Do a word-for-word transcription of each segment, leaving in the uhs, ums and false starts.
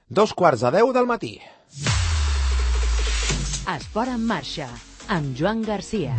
Dos quarts de deu del matí. Esport en marxa, amb Joan Garcia.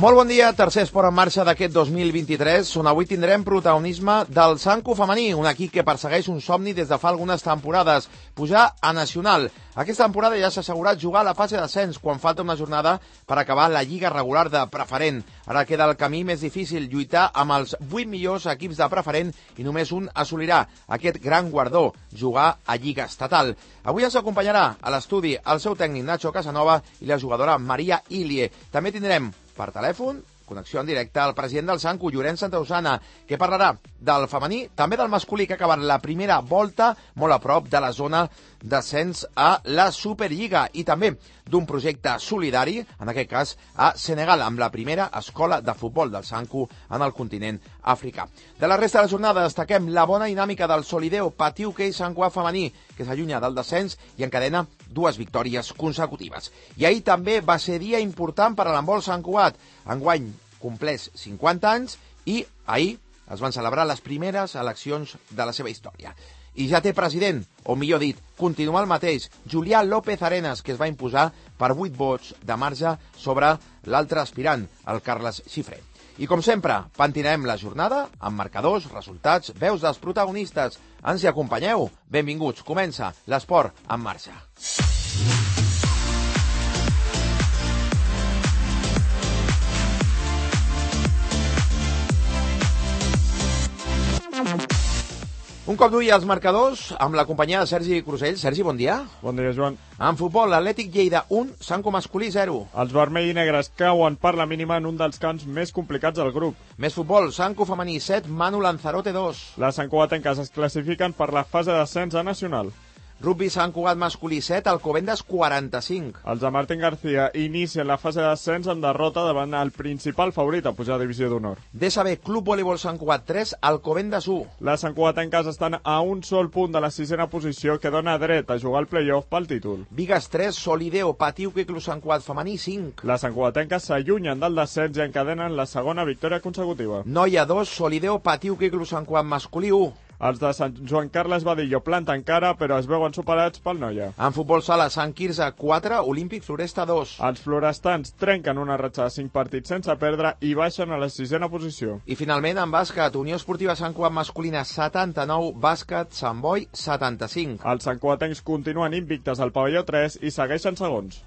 Molt bon dia, tercer esport en marxa d'aquest dos mil vint-i-tres, on avui tindrem protagonisme del Sanco femení, un equip que persegueix un somni des de fa algunes temporades, pujar a Nacional. Aquesta temporada ja s'ha assegurat jugar a la fase d'ascens quan falta una jornada per acabar la lliga regular de preferent. Ara queda el camí més difícil, lluitar amb els vuit millors equips de preferent i només un assolirà aquest gran guardó, jugar a lliga estatal. Avui ens acompanyarà a l'estudi el seu tècnic Nacho Casanova i la jugadora Maria Ilie. També tindrem per telèfon, connexió en directe al president del Sanco, Llorenç Santausana, que parlarà del femení, també del masculí, que ha acabat la primera volta molt a prop de la zona d'ascens a la Superliga, i també d'un projecte solidari, en aquest cas a Senegal, amb la primera escola de futbol del Sanco en el continent africà. De la resta de la jornada destaquem la bona dinàmica del Solideo Patiu-Quei Sant Cugat femení, que s'allunya del descens i encadena dues victòries consecutives. I ahir també va ser dia important per a l'handbol Sant Cugat. Enguany compleix cinquanta anys i ahir es van celebrar les primeres eleccions de la seva història. I ja té president, o millor dit, continua el mateix, Julià López Arenas, que es va imposar per vuit vots de marge sobre l'altre aspirant, el Carles Xifré. I com sempre, pentinarem la jornada amb marcadors, resultats, veus dels protagonistes. Ens hi acompanyeu? Benvinguts, comença l'esport en marxa. Un cop d'ull als marcadors, amb la companyia de Sergi Crusell. Sergi, bon dia. Bon dia, Joan. En futbol, l'Atlètic Lleida un, Sanco masculí zero. Els vermells i negres cauen per la mínima en un dels camps més complicats del grup. Més futbol, Sanco femení set, Manu Lanzarote dos. Les santcugatenques es classifiquen per la fase d'ascens a Nacional. Rugby Sant Cugat masculí set, Alcobendas quaranta-cinc. Els de Martín García inicien la fase d'ascens amb derrota davant el principal favorit a pujar a Divisió d'Honor. D S B Club Voleibol Sant Cugat tres, Alcobendas u. Les santcugatenques estan a un sol punt de la sisena posició que dona dret a jugar al play-off pel títol. Vigas tres, Solideo Patiu-Quei Club Sant Cugat femení cinc. Les santcugatenques s'allunyen del descens i encadenen la segona victòria consecutiva. Noia dos, Solideo Patiu-Quei Club Sant Cugat masculí u. Els de Sant Joan Carles Badillo planten cara, però es veuen superats pel Noia. En futbol sala, Sant Quirze quatre, Olímpic Floresta dos. Els florestans trenquen una ratxa de cinc partits sense perdre i baixen a la sisena posició. I finalment, en bàsquet, Unió Esportiva Sant Cugat masculina setanta-nou, bàsquet Sant Boi setanta-cinc. Els santcugatencs continuen invictes al pavelló tres i segueixen segons.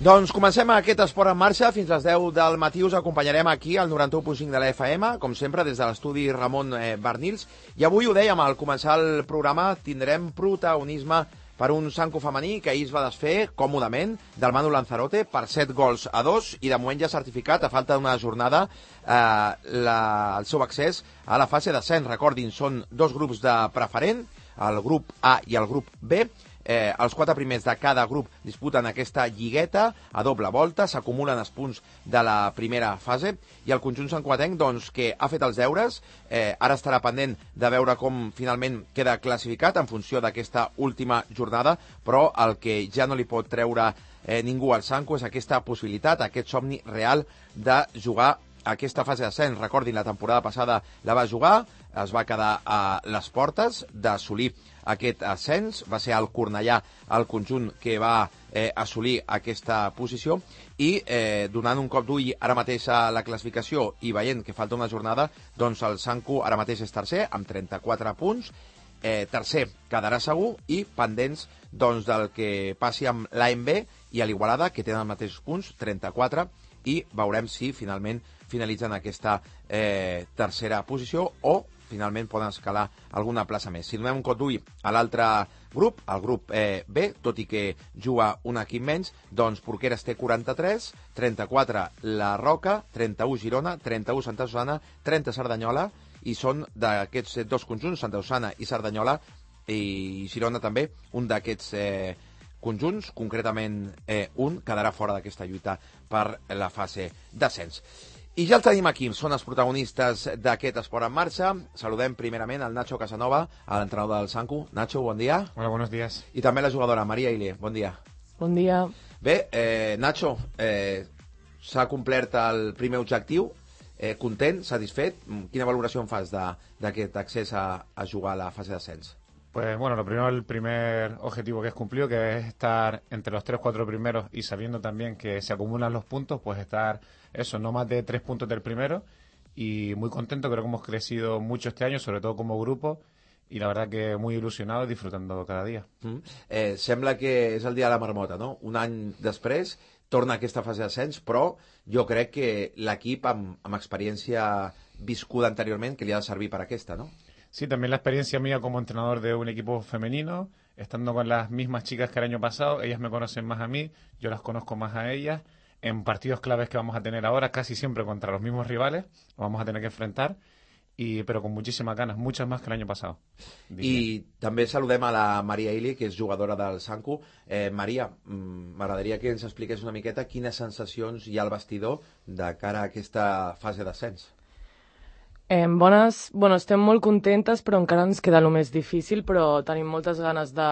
Doncs comencem aquest esport en marxa. Fins les deu del matí us acompanyarem aquí al noranta-u punt cinc de la F M, com sempre des de l'estudi Ramon eh, Bernils. I avui ho dèiem, al començar el programa tindrem protagonisme per un Sanco femení que ahir es va desfer còmodament del Manu Lanzarote per set gols a dos i de moment ja ha certificat, a falta d'una jornada, eh, la, el seu accés a la fase d'ascens. Recordin, són dos grups de preferent, el grup A i el grup B. Eh, els quatre primers de cada grup disputen aquesta lligueta a doble volta, s'acumulen els punts de la primera fase i el conjunt santcugatenc, doncs, que ha fet els deures, eh, ara estarà pendent de veure com finalment queda classificat en funció d'aquesta última jornada, però el que ja no li pot treure eh, ningú al Sanco és aquesta possibilitat, aquest somni real de jugar aquesta fase d'ascens. Recordin, la temporada passada la va jugar, es va quedar a les portes d'assolir aquest ascens, va ser el Cornellà el conjunt que va eh, assolir aquesta posició i eh, donant un cop d'ull ara mateix a la classificació i veient que falta una jornada, doncs el Sanco ara mateix és tercer amb trenta-quatre punts eh, tercer quedarà segur i pendents doncs, del que passi amb l'A M B i a l'Igualada, que tenen els mateixos punts, trenta-quatre, i veurem si finalment finalitzen aquesta eh, tercera posició o finalment poden escalar alguna plaça més. Si donem un cop d'ull a l'altre grup, el grup eh, B, tot i que juga un equip menys, doncs Porqueres té quaranta-tres, trenta-quatre La Roca, trenta-u Girona, trenta-u Santa Susana, trenta Cerdanyola, i són d'aquests dos conjunts, Santa Susana i Cerdanyola, i Girona també, un d'aquests eh, conjunts, concretament eh, un, quedarà fora d'aquesta lluita per la fase d'ascens. I ja el tenim aquí, són els protagonistes d'aquest Esport en Marxa. Saludem primerament al Nacho Casanova, a l'entrenador del Sanku. Nacho, bon dia. Hola, buenos días. I també la jugadora Maria Ile, bon dia. Bon dia. Bé, eh, Nacho, eh, s'ha complert el primer objectiu, eh, content, satisfet. Quina valoració en fas d'aquest accés a, a jugar a la fase d'ascens? Pues bueno, lo primero, el primer objetivo que es cumplido, que es estar entre los tres, cuatro primeros y sabiendo también que se acumulan los puntos, pues estar, eso, no más de tres puntos del primero, y muy contento, creo que hemos crecido mucho este año, sobre todo como grupo, y la verdad que muy ilusionado y disfrutando cada día. Mm. Eh, sembla que és el dia de la marmota, no? Un any després torna aquesta fase d'ascens, però jo crec que l'equip amb, amb experiència viscuda anteriorment que li ha de servir per aquesta, no? Sí, también la experiencia mía como entrenador de un equipo femenino, estando con las mismas chicas que el año pasado, ellas me conocen más a mí, yo las conozco más a ellas, en partidos claves que vamos a tener ahora, casi siempre contra los mismos rivales, los vamos a tener que enfrentar, y, pero con muchísimas ganas, muchas más que el año pasado. Diría. I també saludem a la Maria Ili, que és jugadora del Sanku. Eh, Maria, m'agradaria que ens expliqués una miqueta quines sensacions hi ha al vestidor de cara a aquesta fase d'ascens. Eh, bones, bueno, estem molt contentes, però encara ens queda el més difícil, però tenim moltes ganes de,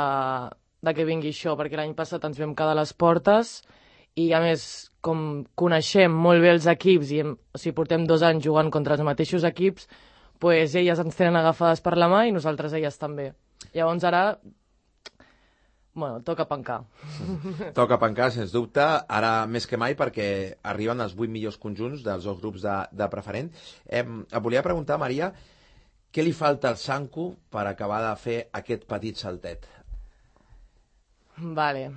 de que vingui això, perquè l'any passat ens vam quedar a les portes i, a més, com coneixem molt bé els equips i hem, o sigui, portem dos anys jugant contra els mateixos equips, pues elles ens tenen agafades per la mà i nosaltres elles també. Llavors ara, bueno, toca pencar. Toca pencar, sens dubte, ara més que mai, perquè arriben els vuit millors conjunts dels dos grups de, de preferent. Eh, et volia preguntar, Maria, què li falta al Sanku per acabar de fer aquest petit saltet? Vale,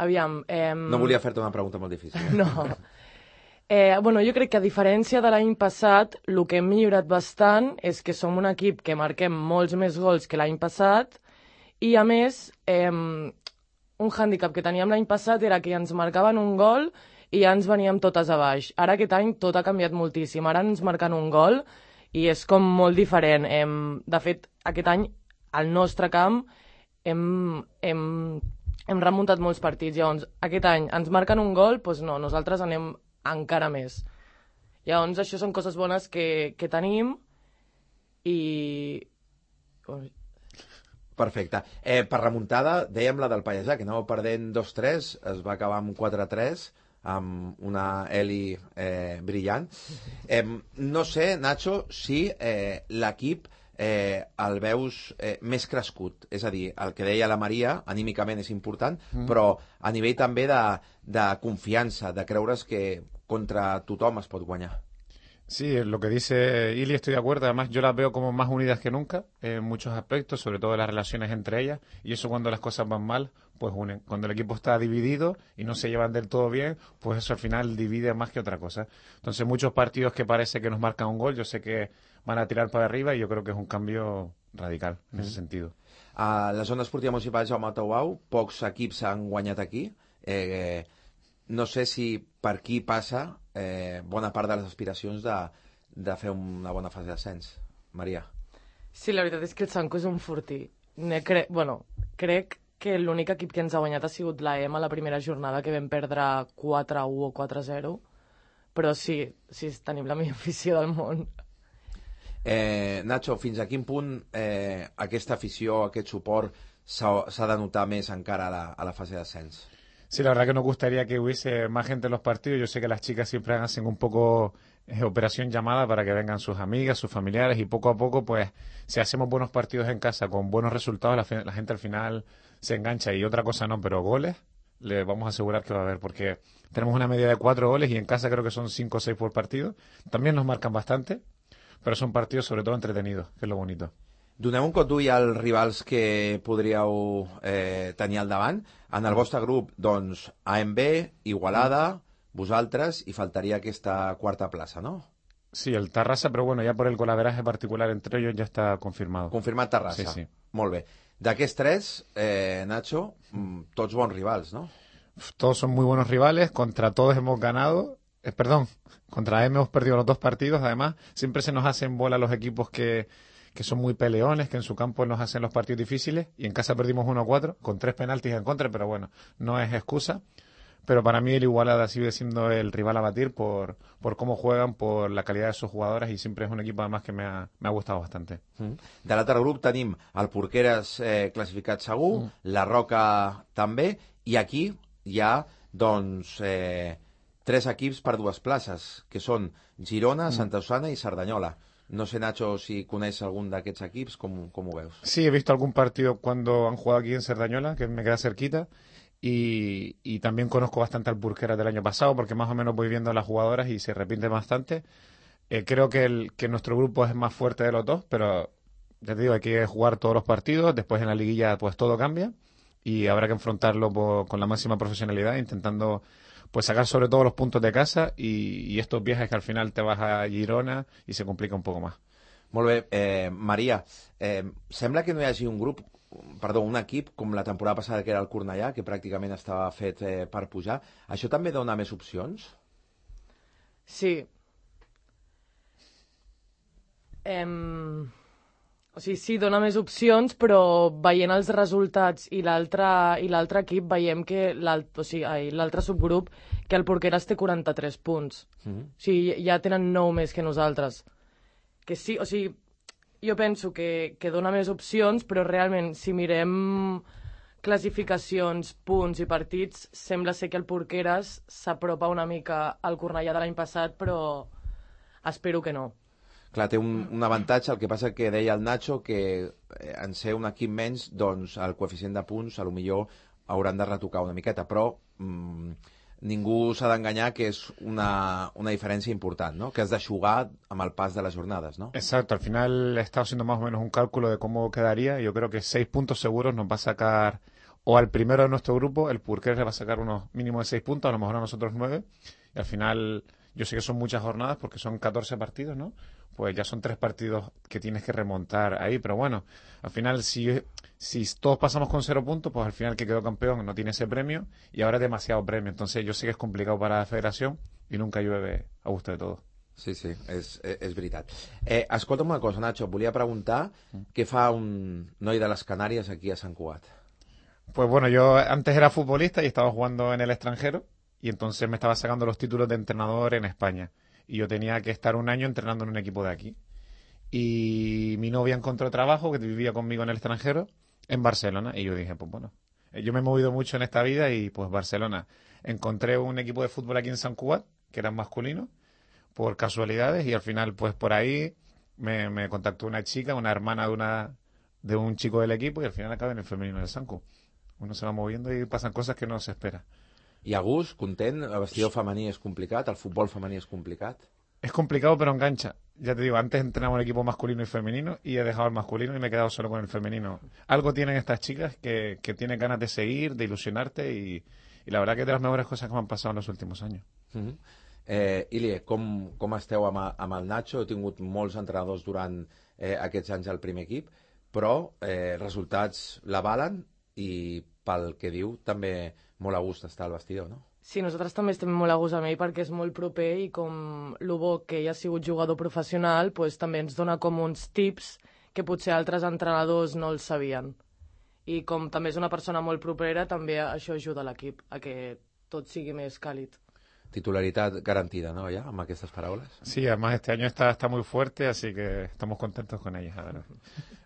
aviam... Eh... No volia fer-te una pregunta molt difícil. Eh? No. Eh, bueno, jo crec que a diferència de l'any passat, el que hem millorat bastant és que som un equip que marquem molts més gols que l'any passat i, a més, eh, un hàndicap que teníem l'any passat era que ens marcaven un gol i ja ens veníem totes a baix. Ara aquest any tot ha canviat moltíssim. Ara ens marquen un gol i és com molt diferent. Eh, de fet, aquest any, al nostre camp, hem, hem, hem remuntat molts partits. Llavors, aquest any ens marquen un gol, doncs no, nosaltres anem encara més. Llavors, això són coses bones que, que tenim i... Perfecte. Eh, per remuntada, dèiem la del Pallejà, que anava perdent dos tres, es va acabar amb quatre tres, amb una Eli eh, brillant. Eh, no sé, Nacho, si eh, l'equip eh, el veus eh, més crescut. És a dir, el que deia la Maria, anímicament és important, mm. però a nivell també de, de confiança, de creure's que contra tothom es pot guanyar. Sí, lo que dice Ili estoy de acuerdo. Además, yo las veo como más unidas que nunca en muchos aspectos, sobre todo en las relaciones entre ellas. Y eso cuando las cosas van mal, pues unen. Cuando el equipo está dividido y no se llevan del todo bien, pues eso al final divide más que otra cosa. Entonces, muchos partidos que parece que nos marcan un gol, yo sé que van a tirar para arriba y yo creo que es un cambio radical en mm. ese sentido. A la zona esportiva municipal Jaume Tauau, pocs equips han guanyat aquí. Eh, no sé si per aquí passa eh, bona part de les aspiracions de, de fer una bona fase d'ascens. Maria. Sí, la veritat és que el Sanku és un fortí. Ne cre... bueno, crec que l'únic equip que ens ha guanyat ha sigut l'A E M a la primera jornada, que vam perdre quatre a u o quatre a zero. Però sí, sí, tenim la millor afició del món. Eh, Nacho, fins a quin punt eh, aquesta afició, aquest suport s'ha de notar més encara a la, a la fase d'ascens? Sí, la verdad que nos gustaría que hubiese más gente en los partidos. Yo sé que las chicas siempre hacen un poco eh, operación llamada para que vengan sus amigas, sus familiares y poco a poco, pues, si hacemos buenos partidos en casa con buenos resultados, la, la gente al final se engancha y otra cosa no, pero goles le vamos a asegurar que va a haber porque tenemos una media de cuatro goles y en casa creo que son cinco o seis por partido. También nos marcan bastante, pero son partidos sobre todo entretenidos, que es lo bonito. Donem un cop d'ull als rivals que podríeu eh, tenir al davant. En el vostre grup, doncs, A M B, Igualada, vosaltres, i faltaria aquesta quarta plaça, ¿no? Sí, el Tarrasa, pero bueno, ya por el golaveraje particular entre ellos ya está confirmado. Confirmat Terrassa. Sí, sí. Molt bé. D'aquests tres, eh, Nacho, mm, tots bons rivals, ¿no? Todos son muy buenos rivales, contra todos hemos ganado, eh, perdón, contra A M hemos perdido los dos partidos, además, siempre se nos hacen bola los equipos que, que son muy peleones, que en su campo nos hacen los partidos difíciles, y en casa perdimos uno a cuatro, con tres penaltis en contra, pero bueno, no es excusa. Pero para mí el Igualada sigue siendo el rival a batir por, por cómo juegan, por la calidad de sus jugadoras, y siempre es un equipo además que me ha, me ha gustado bastante. Mm. De l'altre grup tenim el Porqueres eh, classificat segur, mm. la Roca també, i aquí hi ha, doncs, eh, tres equips per dues places, que són Girona, mm. Santa Osana i Cerdanyola. No sé, Nacho, si coneix algun d'aquests equips, com, com ho veus? Sí, he visto algún partido cuando han jugado aquí en Cerdañola, que me queda cerquita. Y, y también conozco bastante al Porqueras del año pasado porque más o menos voy viendo a las jugadoras y se repite bastante. Eh, creo que, el, que nuestro grupo es más fuerte de los dos, pero ya te digo, hay que jugar todos los partidos, después en la liguilla pues todo cambia y habrá que enfrentarlo por, con la máxima profesionalidad, intentando pues sacar sobre todo los puntos de casa y, y estos viajes que al final te vas a Girona y se complica un poco más. Molt bé. Eh, Maria, eh, sembla que no hi hagi un grup, perdó, un equip com la temporada passada que era el Cornellà, que pràcticament estava fet eh, per pujar. Això també dona més opcions? Sí. Em... O sigui, sí, dona més opcions, però veient els resultats i l'altre i l'altre equip veiem que l'altre o sigui, l'altre subgrup, que el Porqueres té quaranta-tres punts. Mm-hmm. O sigui, ja tenen nou més que nosaltres. Que sí, o sigui, jo penso que, que dona més opcions, però realment, si mirem classificacions, punts i partits, sembla ser que el Porqueres s'apropa una mica al Cornellà de l'any passat, però espero que no. Clar, té un, un avantatge, el que passa que deia el Nacho que eh, en ser un equip menys, doncs el coeficient de punts a lo millor hauran de retocar una miqueta, però mm, ningú s'ha d'enganyar que és una, una diferència important, ¿no? Que has de jugar amb el pas de las jornadas, ¿no? Exacto, al final he estado haciendo más o menos un cálculo de cómo quedaría. Yo creo que seis puntos seguros nos va a sacar, o al primero de nuestro grupo, el Porqueres le va a sacar unos mínimos de seis puntos, a lo mejor a nosotros nueve, y al final yo sé que son muchas jornadas porque son catorce partidos, ¿no? Pues ya son tres partidos que tienes que remontar ahí, pero bueno, al final si, si todos pasamos con cero puntos, pues al final el que quedó campeón no tiene ese premio y ahora es demasiado premio, entonces yo sé que es complicado para la federación y nunca llueve a gusto de todos. Sí, sí, és, és veritat. Eh, escolta'm una cosa, Nacho, volia preguntar què fa un noi de les Canàries aquí a Sant Cugat. Pues bueno, yo antes era futbolista y estaba jugando en el extranjero y entonces me estaba sacando los títulos de entrenador en España. Y yo tenía que estar un año entrenando en un equipo de aquí. Y mi novia encontró trabajo, que vivía conmigo en el extranjero, en Barcelona. Y yo dije, pues bueno, yo me he movido mucho en esta vida y pues Barcelona. Encontré un equipo de fútbol aquí en Sant Cugat, que eran masculinos, por casualidades. Y al final, pues por ahí me, me contactó una chica, una hermana de una de un chico del equipo, y al final acabé en el femenino del Sant Cugat. Uno se va moviendo y pasan cosas que no se espera. I a gust, content, el vestidor femení és complicat, el futbol femení és complicat? Es complicado, pero engancha. Ya te digo, antes entrenaba un equipo masculino y femenino y he dejado el masculino y me he quedado solo con el femenino. Algo tienen estas chicas que, que tienen ganas de seguir, de ilusionarte y, y la verdad que es de las mejores cosas que me han pasado en los últimos años. Mm-hmm. eh, Ilie, com, com esteu amb, amb el Nacho? He tingut molts entrenadors durant eh, aquests anys al primer equip, però eh, resultats l'avalen i pel que diu també molt a gust estar al vestidor, no? Sí, nosaltres també estem molt a gust amb ell perquè és molt proper i com el bo que ell ha sigut jugador professional, pues, també ens dona com uns tips que potser altres entrenadors no els sabien. I com també és una persona molt propera, també això ajuda l'equip a que tot sigui més càlid. Titularidad garantida, ¿no? Ya, amb aquestes paraules. Sí, además este año está, está muy fuerte, así que estamos contentos con ella, la verdad.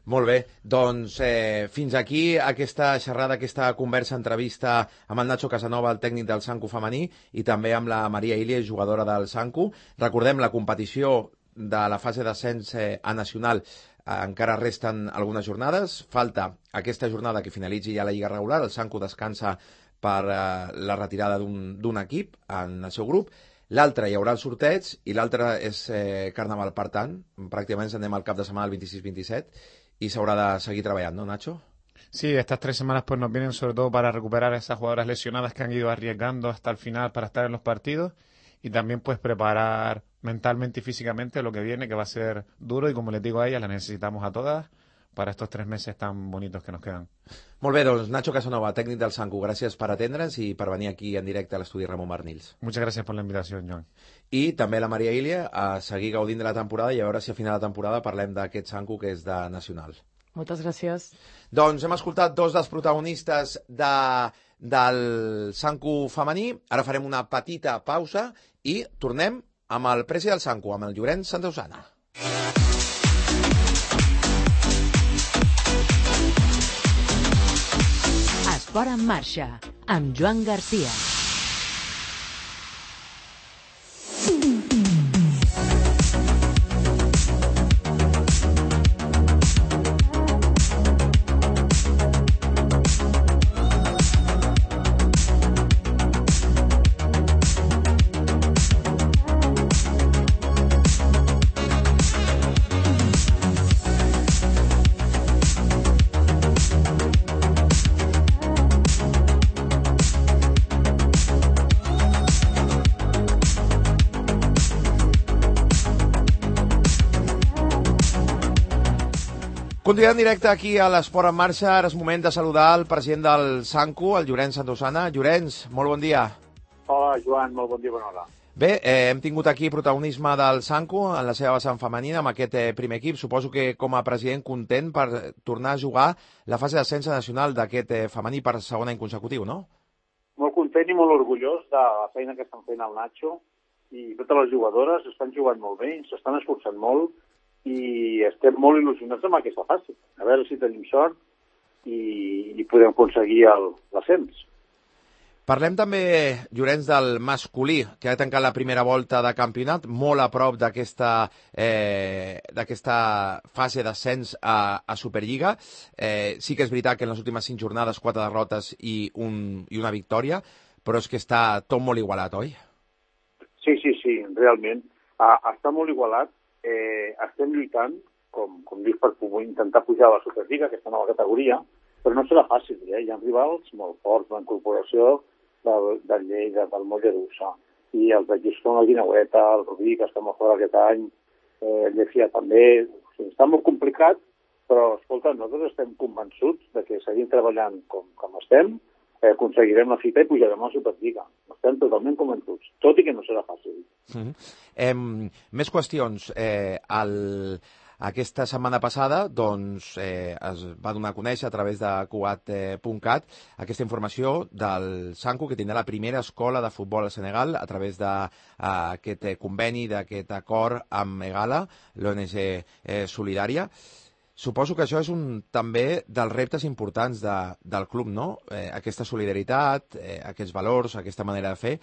Molt bé, doncs eh, fins aquí aquesta xerrada, aquesta conversa, entrevista amb el Nacho Casanova, el tècnic del Sanku femení, i també amb la Maria Ilie, jugadora del Sanku. Recordem, la competició de la fase d'ascens eh, a nacional eh, encara resten algunes jornades. Falta aquesta jornada que finalitzi ja la Lliga regular, el Sanku descansa per eh, la retirada d'un equip en el seu grup. L'altre hi haurà el sorteig i l'altre és eh, Carnaval, per tant, pràcticament ens anem al cap de setmana el vint-i-sis vint-i-set i s'haurà de seguir treballant, ¿no, Nacho? Sí, estas tres semanas pues nos vienen sobre todo para recuperar a esas jugadoras lesionadas que han ido arriesgando hasta el final para estar en los partidos y también pues preparar mentalmente y físicamente lo que viene, que va a ser duro y como les digo a ellas, las necesitamos a todas para estos tres meses tan bonitos que nos quedan. Molt bé, doncs Nacho Casanova, tècnic del Sanku, gràcies per atendre'ns i per venir aquí en directe a l'estudi Ramon Barnils. Muchas gracias por la invitación, Joan. I també la Maria Ilia a seguir gaudint de la temporada i a veure si a final de temporada parlem d'aquest Sanku que és de Nacional. Moltes gràcies. Doncs hem escoltat dos dels protagonistes de, del Sanku femení. Ara farem una petita pausa i tornem amb el presi del Sanku, amb el Llorenç Santausana. Esport en marxa, amb Joan Garcia. Continuem en directe aquí a l'Esport en Marxa. Ara és moment de saludar el president del Sanku, el Llorenç Santausana. Llorenç, molt bon dia. Hola, Joan, molt bon dia, bona hora. Bé, eh, hem tingut aquí protagonisme del Sanku en la seva vessant femenina amb aquest eh, primer equip. Suposo que com a president content per tornar a jugar la fase d'ascens nacional d'aquest eh, femení per segon any consecutiu, no? Molt content i molt orgullós de la feina que estan fent el Nacho i totes les jugadores estan jugant molt bé, s'estan esforçant molt i estem molt il·lusionats amb aquesta fase. A veure si tenim sort i, i podem aconseguir l'ascens. Parlem també, Llorenç, del masculí, que ha tancat la primera volta de campionat, molt a prop d'aquesta eh, d'aquesta fase d'ascens a, a Superliga. Eh, sí que és veritat que en les últimes cinc jornades, quatre derrotes i, un, i una victòria, però és que està tot molt igualat, oi? Sí, sí, sí, realment. Ah, està molt igualat. Eh, estem lluitant, com, com dius, per intentar pujar a la Superliga, aquesta nova categoria, però no serà fàcil, eh? Hi ha rivals molt forts, la incorporació del, del Lleida, del Mollerussa, i els de Giscon, la Guineueta, el Rubí, que està molt fora aquest any, eh, el Llefia també. O sigui, està molt complicat, però, escolta, nosaltres estem convençuts de que seguint treballant com, com estem, eh, aconseguirem la fita i pujarem a la Superliga. Estem totalment convençuts, tot i que no serà fàcil. Mm-hmm. eh, més qüestions. Eh, el, aquesta setmana passada doncs, eh, es va donar a conèixer a través de cuat punt cat aquesta informació del Sanku, que tindrà la primera escola de futbol al Senegal a través d'aquest eh, conveni, d'aquest acord amb Egala, l'O N G eh, Solidària. Suposo que això és un també dels reptes importants de, del club, no? Eh, aquesta solidaritat, eh, aquests valors, aquesta manera de fer.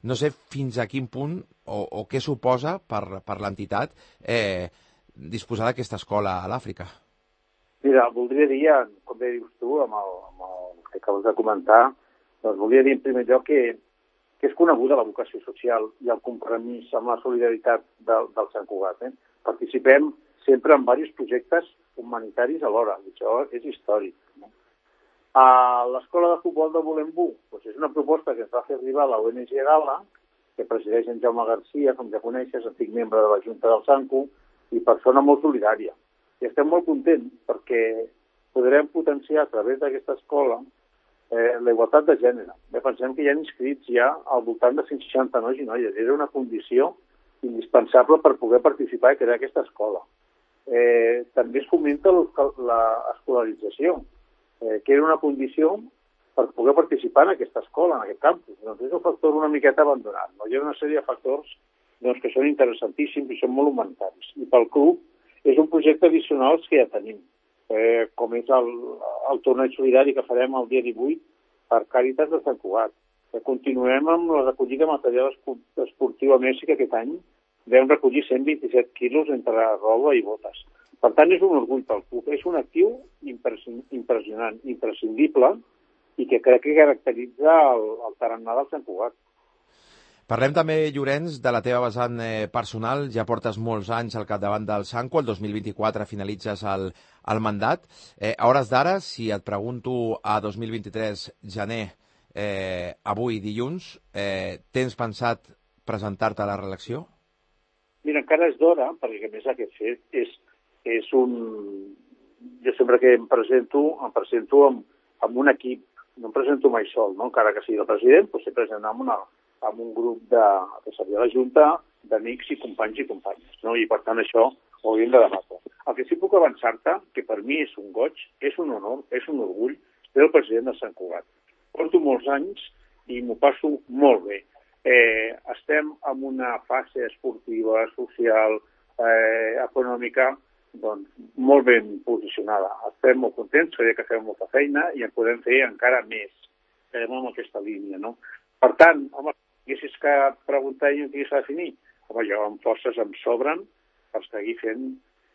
No sé fins a quin punt o, o què suposa per, per l'entitat eh, disposar d'aquesta escola a l'Àfrica. Mira, voldria dir, com bé dius tu, amb el, amb el que acabes de comentar, doncs voldria dir en primer lloc que, que és coneguda la vocació social i el compromís amb la solidaritat del, del Sant Cugat. Eh? Participem sempre en diversos projectes humanitaris alhora, i això és històric. No? A l'escola de futbol de Volembú, doncs és una proposta que ens va fer arribar la O N G Gala, que presideix en Jaume Garcia, com ja coneixes, antic membre de la Junta del Sanku, i persona molt solidària. I estem molt contents perquè podrem potenciar a través d'aquesta escola eh, la igualtat de gènere. Bé, pensem que hi ha inscrits ja al voltant de cent seixanta nois i noies. Era una condició indispensable per poder participar i crear aquesta escola. Eh, també es fomenta l'escolarització, eh, que era una condició per poder participar en aquesta escola, en aquest campus. Doncs és un factor una miqueta abandonat. No? Hi ha una sèrie de factors doncs, que són interessantíssims i són molt humanitaris. I pel club és un projecte addicional que ja tenim, eh, com és el, el torneig solidari que farem el dia divuit per Càritas de Sant Cugat. Eh, continuem amb la recollida de material esportiu a Messi, que aquest any vam recollir cent vint-i-set quilos entre roba i botes. Per tant, és un orgull pel club. És un actiu impressionant, imprescindible, i que crec que caracteritza el, el tarannà del Sant Cugat. Parlem també, Llorenç, de la teva vessant eh, personal. Ja portes molts anys al capdavant del Sanco, el dos mil vint-i-quatre finalitzes el, el mandat. Eh, a hores d'ara, si et pregunto a dos mil vint-i-tres, gener, eh, avui dilluns, eh, tens pensat presentar-te a la reelecció? Mira, encara és d'hora, perquè a més aquest fet és, és un... Jo sempre que em presento, em presento amb, amb un equip, no em presento mai sol, no? Encara que sigui el president, doncs sempre presento amb, una, amb un grup de, de servir a la Junta, d'amics i companys i companyes, no? I per tant això ho hauríem de debatre. El que sí puc avançar-te, que per mi és un goig, és un honor, és un orgull ser el president de Sant Cugat. Porto molts anys i m'ho passo molt bé. Eh, estem en una fase esportiva, social, eh, econòmica, doncs, molt ben posicionada. Estem molt contents, sabia que fem molta feina i en podem fer encara més eh, amb aquesta línia, no? Per tant, home, si haguessis que preguntar i no tingués a definir, home, jo amb forces em sobren per seguir fent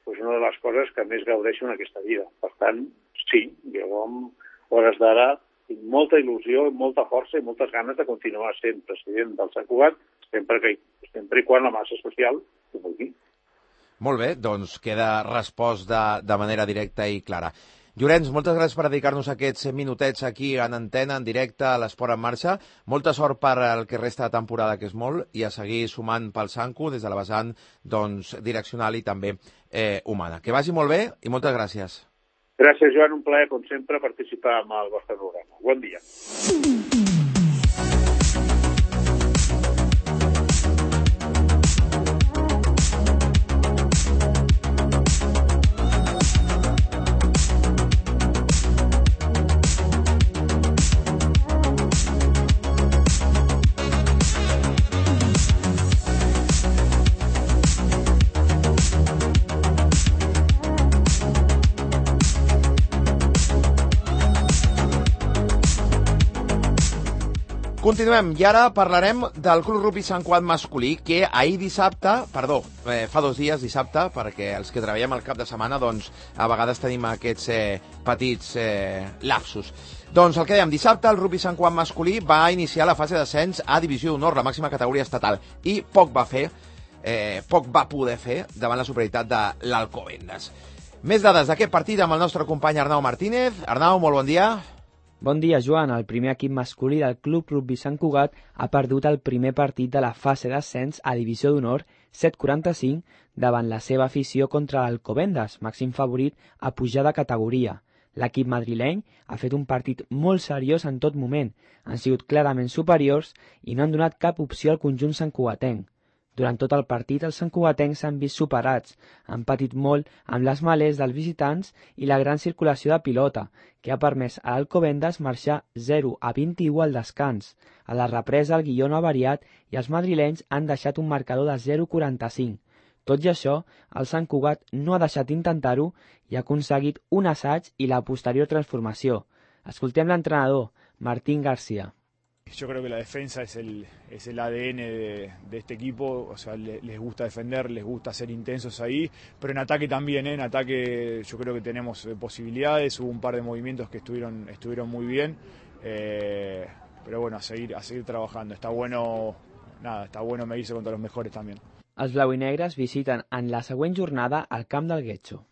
doncs, una de les coses que més gaudeixo en aquesta vida. Per tant, sí, jo amb hores d'ara tinc molta il·lusió, molta força i moltes ganes de continuar sent president del Sant Cugat, sempre, que, sempre i quan la massa social ho vulgui. Molt bé, doncs queda respost de, de manera directa i clara. Llorenç, moltes gràcies per dedicar-nos aquests minutets aquí en antena, en directe, a l'Esport en Marxa. Molta sort per el que resta de temporada, que és molt, i a seguir sumant pel Sanco des de la vessant doncs, direccional i també eh, humana. Que vagi molt bé i moltes gràcies. Gràcies, Joan. Un plaer, com sempre, participar en el vostre programa. Bon dia. Continuem, i ara parlarem del Club Rugby Sant Cugat masculí, que ahir dissabte, perdó, eh, fa dos dies dissabte, perquè els que treballem al cap de setmana, doncs, a vegades tenim aquests eh, petits eh, lapsus. Doncs el que dèiem, dissabte el Rugby Sant Cugat masculí va iniciar la fase d'ascens a Divisió d'Honor, la màxima categoria estatal, i poc va fer, eh, poc va poder fer davant la superioritat de l'Alcobendas. Més dades d'aquest partit amb el nostre company Arnau Martínez. Arnau, molt bon dia. Bon dia, Joan. El primer equip masculí del Club Rugby Sant Cugat ha perdut el primer partit de la fase d'ascens a Divisió d'Honor set quaranta-cinc davant la seva afició contra l'Alcobendas, màxim favorit a pujar de categoria. L'equip madrileny ha fet un partit molt seriós en tot moment, han sigut clarament superiors i no han donat cap opció al conjunt santcugatenc. Durant tot el partit, els santcugatencs s'han vist superats, han patit molt amb les malers dels visitants i la gran circulació de pilota, que ha permès a l'Alcobendas marxar zero a vint-i-u al descans. A la represa, el guió no ha variat i els madrilenys han deixat un marcador de zero quaranta-cinc. Tot i això, el Sant Cugat no ha deixat d'intentar-ho i ha aconseguit un assaig i la posterior transformació. Escoltem l'entrenador, Martín García. Yo creo que la defensa es el, es el A D N de, de este equipo, o sea, le, les gusta defender, les gusta ser intensos ahí, pero en ataque también, ¿eh? En ataque yo creo que tenemos eh, posibilidades, hubo un par de movimientos que estuvieron, estuvieron muy bien, eh, pero bueno, a seguir, a seguir trabajando, está bueno, nada, está bueno medirse contra los mejores también. Els blau i negres visiten en la següent jornada al camp del Guetxo.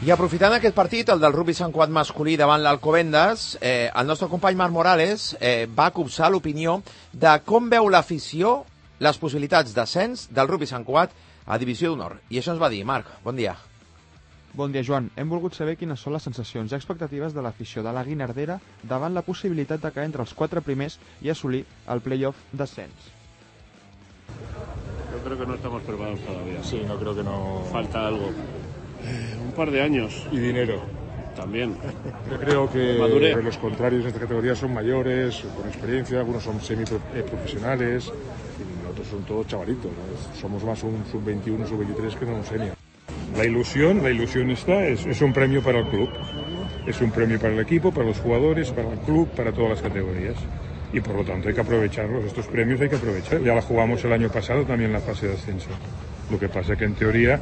I aprofitant aquest partit, el del Rugby Sant Cugat masculí davant l'Alcobendas, eh, el nostre company Marc Morales eh, va copsar l'opinió de com veu l'afició les possibilitats d'ascens del Rugby Sant Cugat a Divisió d'Honor. I això ens va dir. Marc, bon dia. Bon dia, Joan. Hem volgut saber quines són les sensacions i expectatives de l'afició de la Guinardera davant la possibilitat de caer entre els quatre primers i assolir el play-off d'ascens. Yo creo que no estamos preparados todavía. Sí, no creo que no... Falta algo. Eh, un par de años. Y dinero. También. Yo creo que Madurez. los contrarios de esta categoría son mayores, con experiencia, algunos son semiprofesionales y otros son todos chavalitos, ¿no? Somos más un sub veintiuno, sub veintitrés que no un senior. La ilusión, la ilusión está, es, es un premio para el club. Es un premio para el equipo, para los jugadores, para el club, para todas las categorías. Y por lo tanto hay que aprovecharlos, estos premios hay que aprovechar. Ya la jugamos el año pasado también en la fase de ascenso. Lo que pasa que en teoría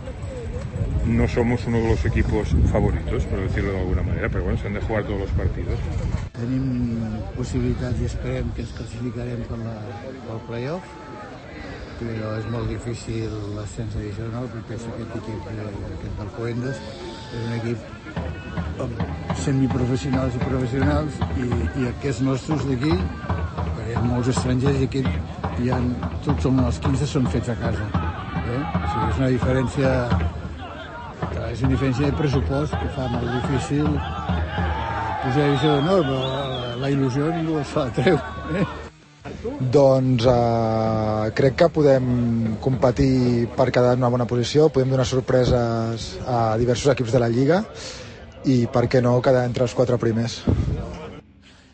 no somos uno de los equipos favoritos, por decirlo de alguna manera, pero bueno, se han de jugar todos los partidos. Tenim possibilitats i esperem que ens classificarem per la, pel playoff, però és molt difícil l'ascens addicional perquè és aquest equip aquest d'Alcobendas és un equip amb semiprofessionals i professionals i, i aquests nostres d'aquí, perquè hi ha molts estrangers i aquí hi ha, tots som els quinze són fets a casa. Eh? O sigui, és una diferència és una diferència de pressupost que fa molt difícil pujar a divisió d'honor, però la, la il·lusió ningú es fa treure. Eh? Doncs eh, crec que podem competir per quedar en una bona posició, podem donar sorpreses a diversos equips de la Lliga i per què no quedar entre els quatre primers.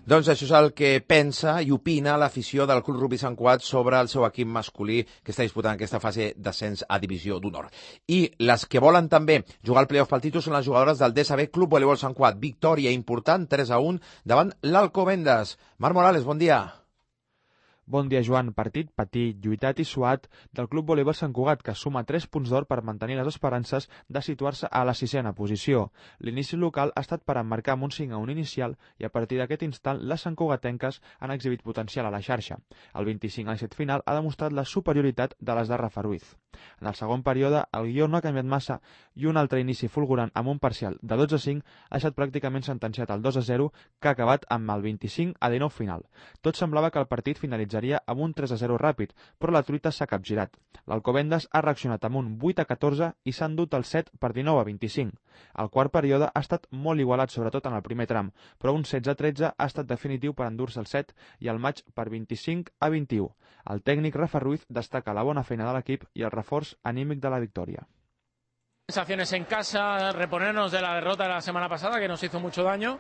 Doncs això és el que pensa i opina l'afició del Club Rugby Sant Cugat sobre el seu equip masculí que està disputant aquesta fase d'ascens a Divisió d'Honor. I les que volen també jugar al playoff pel títol són les jugadores del D S B Club Voleibol Sant Cugat. Victòria important, tres a un, davant l'Alcobendas. Marc Morales, bon dia. Bon dia, Joan. Partit petit, lluitat i suat del Club Voleibol Sant Cugat, que suma tres punts d'or per mantenir les esperances de situar-se a la sisena posició. L'inici local ha estat per emmarcar amb un cinc a un inicial i a partir d'aquest instant les santcugatenques han exhibit potencial a la xarxa. El vint-i-cinc a set final ha demostrat la superioritat de les de Rafa Ruiz. En el segon període, el guió no ha canviat massa i un altre inici fulgurant amb un parcial de dotze a cinc ha estat pràcticament sentenciat al dos a zero, que ha acabat amb el vint-i-cinc a dinou final. Tot semblava que el partit finalitzaria amb un tres a zero ràpid, però la truita s'ha capgirat. L'Alcobendas ha reaccionat amb un vuit a catorze i s'ha endut el set per dinou a vint-i-cinc. El quart període ha estat molt igualat, sobretot en el primer tram, però un setze a tretze ha estat definitiu per endur-se el set i el maig per vint-i-cinc a vint-i-u. El tècnic Rafa Ruiz destaca la bona feina de l'equip i el reforç anímic de la victòria. Sensaciones en casa, reponernos de la derrota de la semana pasada que nos hizo mucho daño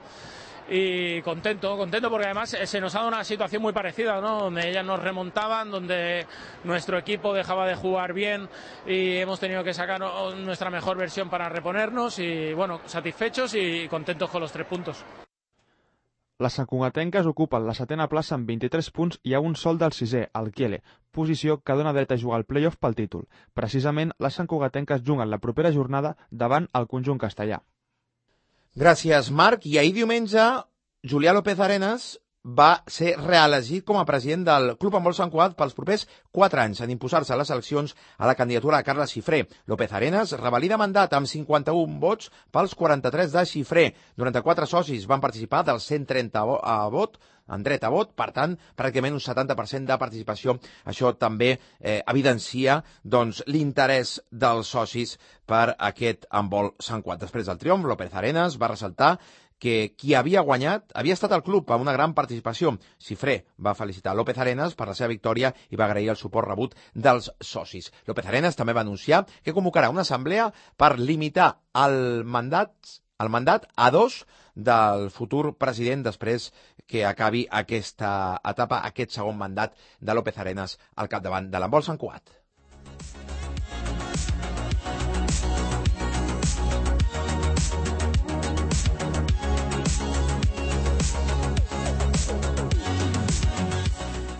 y contento, contento porque además se nos ha dado una situación muy parecida, ¿no? Donde ellas nos remontaban, donde nuestro equipo dejaba de jugar bien y hemos tenido que sacar nuestra mejor versión para reponernos y bueno, satisfechos y contentos con los tres puntos. Les santcugatenques ocupen la setena plaça amb vint-i-tres punts i a un sol del sisè, el Kiele, posició que dona dret a jugar al playoff pel títol. Precisament, les santcugatenques juguen la propera jornada davant el conjunt castellà. Gràcies, Marc. I ahir diumenge, Julià López Arenas va ser reelegit com a president del Club Handbol Sant Cugat pels propers quatre anys en imposar-se a les eleccions a la candidatura de Carles Xifré. López Arenas revalida mandat amb cinquanta-un vots pels quaranta-tres de Xifré. noranta-quatre socis van participar dels cent trenta a vot, en dret a vot, per tant, pràcticament un setanta per cent de participació. Això també eh, evidencia doncs, l'interès dels socis per aquest handbol Sant Cugat. Després del triomf, López Arenas va ressaltar que qui havia guanyat havia estat el club amb una gran participació. Xifré va felicitar López Arenas per la seva victòria i va agrair el suport rebut dels socis. López Arenas també va anunciar que convocarà una assemblea per limitar el mandat, el mandat a dos del futur president després que acabi aquesta etapa, aquest segon mandat de López Arenas al capdavant de l'handbol Sant Cugat.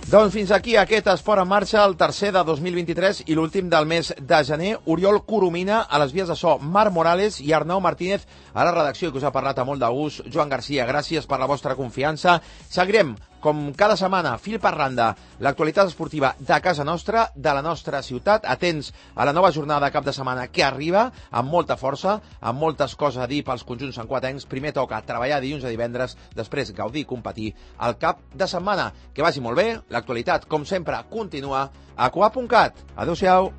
Doncs fins aquí aquest Esport en Marxa, el tercer de dos mil vint-i-tres i l'últim del mes de gener. Oriol Coromina a les vies de so, Marc Morales i Arnau Martínez a la redacció, que us ha parlat a molt de gust. Joan Garcia, gràcies per la vostra confiança. Seguirem, com cada setmana, fil per randa, l'actualitat esportiva de casa nostra, de la nostra ciutat. Atents a la nova jornada de cap de setmana que arriba amb molta força, amb moltes coses a dir pels conjunts santcugatencs. Primer toca treballar dilluns a divendres, després gaudir i competir al cap de setmana. Que vagi molt bé. L'actualitat, com sempre, continua a cugat punt cat. Adéu-siau.